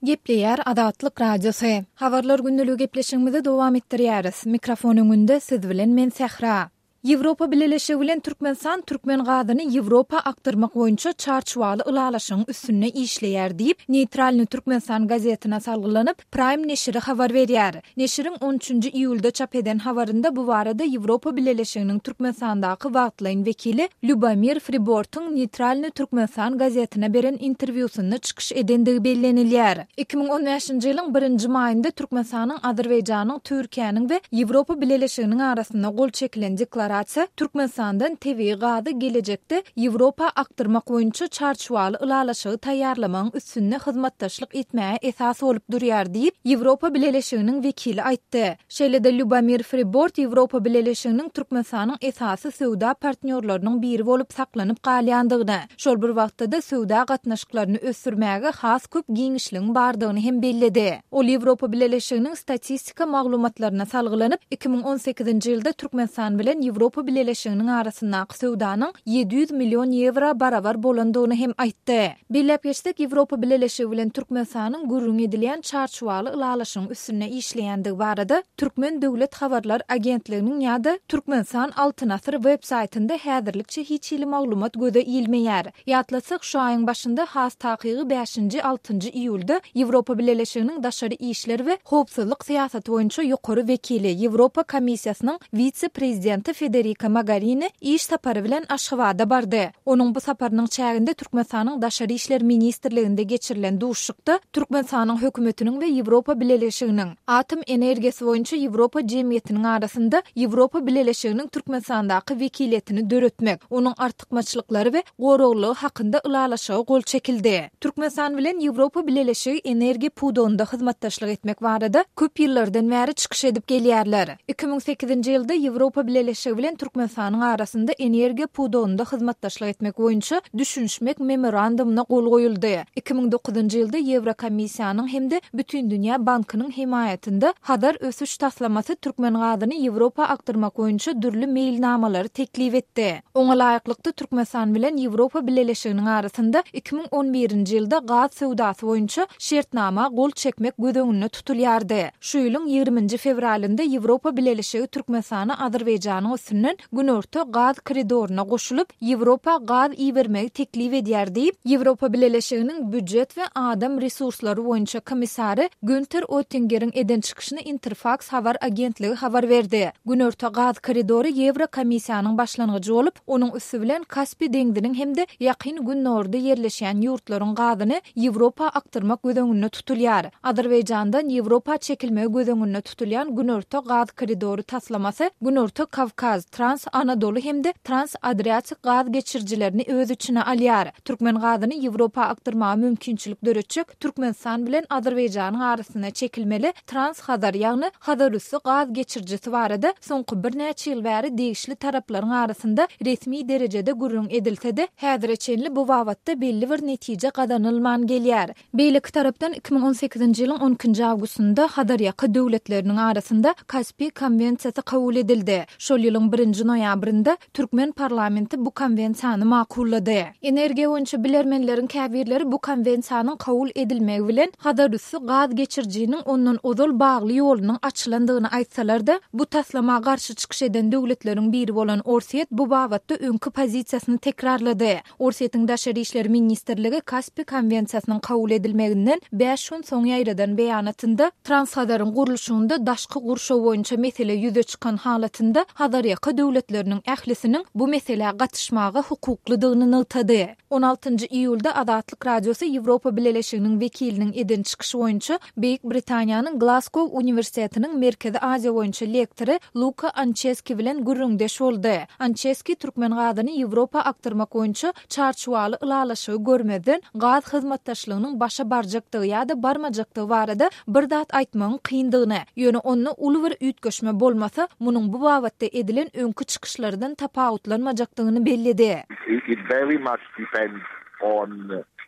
Gepleýär Azatlyk Radiosy. Habarlar gündeligi gepleşigimizi dowam etdirýäris. Mikrofon öňünde siz bilen men Sähra. Ýewropa Bileleşigi bilen Türkmenistan türkmen gazyny Ýewropa akdyrmak boýunça çarçuwaly ylalaşygyň üstünde işleýär diýip, Neýtralnyý Türkmenistan gazetine salgylanyp, Praým neşiri habar berýär. Neşiriň on üçünji iýulda çap eden habarynda bu barada Ýewropa Bileleşiginiň Türkmenistandaky wagtlaýyn wekili Lýubomir Fribortyň Neýtralnyý Türkmenistan gazetine beren interwýusynda çykyş edendigi bellenilýär. 2015-nji ýylyň birinji maýynda Türkmenistanyň, Azerbaýjanyň, Türkiýäniň we Ýewropa Bileleşiginiň arasynda gol çekilen deklarasiýa Türkmenistandan tebigy gazy gelejekde Ýewropa akdyrmak boýunça çarçuwaly ylalaşygy taýýarlamagyň üstünde hyzmatdaşlyk etmäge esas bolup durýar diýip, Ýewropa Bileleşiginiň wekili aýtdy. Şeýle-de Lýubomir Fribort Ýewropa Bileleşiginiň Türkmenistanyň esasy söwda partnýorlarynyň biri bolup saklanyp galýandygyny, şol bir wagtda-da söwda gatnaşyklaryny ösdürmäge has köp giňişligiň bardygyny hem belledi. Ol Ýewropa Bileleşiginiň statistika maglumatlaryna salgylanyp, 2018-nji ýylda Türkmenistan bilen Ýewropa Bileleşiginiň arasyndaky söwdanyň 700 million ýewro barabar bolandygyny hem aýtdy. Belläp geçsek, Ýewropa Bileleşigi bilen Türkmenistanyň gürrüňi edilýän çarçuwaly ylalaşygyň üstünde işleýändigi barada Türkmen döwlet habarlar agentliginiň ýa-da Türkmenistan Altyn asyr web saýtynda häzirlikçe hiç hili maglumat göze ilmeýär. Ýatlatsak, şu aýyň başynda, has takygy bäşinji, altynjy iýulda Ýewropa Bileleşiginiň daşary işler we howpsuzlyk syýasaty boýunça ýokary wekili, Ýewropa Komissiýasynyň wise-prezidenti Federika Mogarini iş sapary bilen Aşgabada bardy. Onuň bu saparynyň çäginde Türkmenistanyň Daşary işler ministrliginde geçirilen duşuşykda Türkmenistanyň Hökümetiniň we Ýewropa Bileleşiginiň Atom energiýasy boýunça Ýewropa jemgyýetiniň arasynda Ýewropa Bileleşiginiň Türkmenistandaky wekiliýetini döretmek, onuň artykmaçlyklary we goraglylygy hakynda ylalaşyga gol çekildi. Türkmenistan bilen Ýewropa Bileleşigi energiýa pudagynda hyzmatdaşlyk etmek barada köp ýyllardan bäri çykyş edip gelýärler. 2008-nji ýylda Ýewropa Bileleşigi bilen Türkmenistanyň arasynda energiýa pudagynda hyzmatdaşlyk etmek boýunça Düşünişmek Memorandumyna gol goýuldy. 2009-njy ýylda Ýewrokomissiýanyň hem-de Bütindünýä bankynyň hemaýatynda Hazar ösüş taslamasy türkmen gazyny Ýewropa akdyrmak boýunça dürli meýilnamalary teklip etdi. Oňa laýyklykda, Türkmenistan bilen Ýewropa Bileleşiginiň arasynda 2011-nji ýylda gaz söwdasy boýunça şertnama gol çekmek göz öňünde tutulýardy. Şu ýylyň ýigriminji fewralynda Ýewropa Bileleşigi Türkmenistana Azerbaýjanyň üstünden Günorta gaz koridoryna goşulyp, Ýewropa gaz ibermegi teklip edýär diýip, Ýewropa Bileleşiginiň býujet we adam resurslary boýunça komissary Günter Oettingeriň eden çykyşyny Interfaks habar agentligi habar berdi. Günorta gaz koridory Ýewrokomissiýanyň başlangyjy bolup, onuň üsti bilen Kaspi deňziniň hem-de Ýakyn Günorda ýerleşýän ýurtlaryň gazyny Ýewropa akdyrmak göz öňünde tutulýar. Azerbaýjandan Ýewropa çekilmegi göz öňünde tutulýan Günorta gaz koridory taslamasy Günorta Kawkaz, Trans-Anadoly hem-de Trans-Adriatik gaz geçirijilerini öz içine alýar. Türkmen gazyny Ýewropa akdyrmaga mümkinçilik döretjek Türkmenistan bilen Azerbaýjanyň arasynda çekilmeli Trans-Hazar, ýagny Hazarüsti gaz geçirijisi barada soňky birnäçe ýyl bäri degişli taraplaryň arasynda resmi derejede gürrüň edilse-de, häzire çenli bu babatda belli bir netije gazanylman gelýär. Beýleki tarapdan, 2018-nji ýylyň on ikinji awgustynda Hazarýaka döwletleriniň arasynda Kaspi konwensiýasy kabul edildi. Şol ýylyň birinji noýabrynda türkmen parlamenti bu konwensiýany makullady. Energiýa boýunça bilermenleriň käbirleri bu konwensiýanyň kabul edilmegi bilen Hazarüsti gaz geçirijiniň ondan ozal bagly ýolunyň açylandygyny aýtsalar-da, bu taslama garşy çykyş eden döwletleriň biri bolan Orsýet bu babatda öňki pozisiýasyny tekrarlady. Orsýetiň Daşary işler ministrligi Kaspi konwensiýasynyň kabul edilmeginden bäş gün soň ýaýradan beýanatynda, Transhazaryň gurluşygynda daşky gurşaw boýunça mesele ýüze çykan halatynda Hazarýaka döwletleriniň ählisiniň bu meselä gatyşmaga hukuklydygyny nygtady. On altynjy iýulda Azatlyk Radiosy Ýewropa Bileleşiginiň wekiliniň eden çykyşy boýunça Beýik Britaniýanyň Glasgow uniwersitetiniň Merkezi Aziýa boýunça lektory Luka Ançeski bilen gürrüňdeş boldy. Ançeski türkmen gazyny Ýewropa akdyrmak boýunça çarçuwaly ylalaşygy görmezden, gaz hyzmatdaşlygynyň başa barjakdygy ýa-da barmajakdygy barada bir zat aýtmagyň kyndygyny, ýöne onda uly bir üýtgeşme bolmasa, munuň bu babatda edilen öňki çykyşlardan tapawutlanmajakdygyny belledi. It very much depends on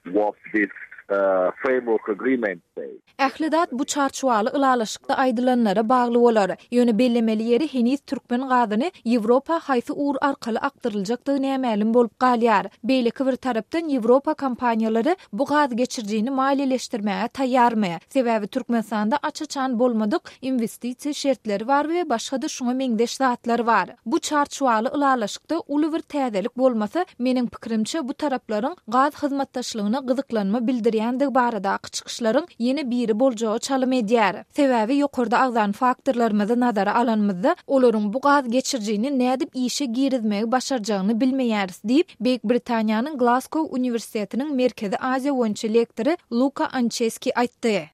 what this. framework agreement says. Ähli zat bu çarçuwaly ylalaşykda aýdylanlara bagly bolar. Ýöne bellemeli ýeri heniz türkmen gazyny Ýewropa haýsy ugur arkaly akdyryljakdygy nämälim bolup galýar. Beýleki bir tarapdan Ýewropa kompaniýalary bu gaz geçirijini maliýeleşdirmäge taýýarmy? Sebäbi Türkmenistanda aç-açan bolmadyk inwestisiýa şertleri bar we başga-da şuňa meňzeş zatlar bar. Bu çarçuwaly ylalaşykda uly bir täzelik bolmasa, meniň pikirimçe, bu taraplaryň gaz hyzmatdaşlygyna gyzyklanma bildirýändigi baradaky çykyşlaryň ýene biri boljaga çalym edýär. Sebäbi ýokarda agzan faktorlarymyzy nazara alanymyzda, olaryň bu gaz geçirijini nädip işe girizmegi başarjagyny bilmeýäris diýip, Beýik Britaniýanyň Glasgow uniwersitetiniň Merkezi Aziýa boýunça lektory Luka Ançeski aýtdy.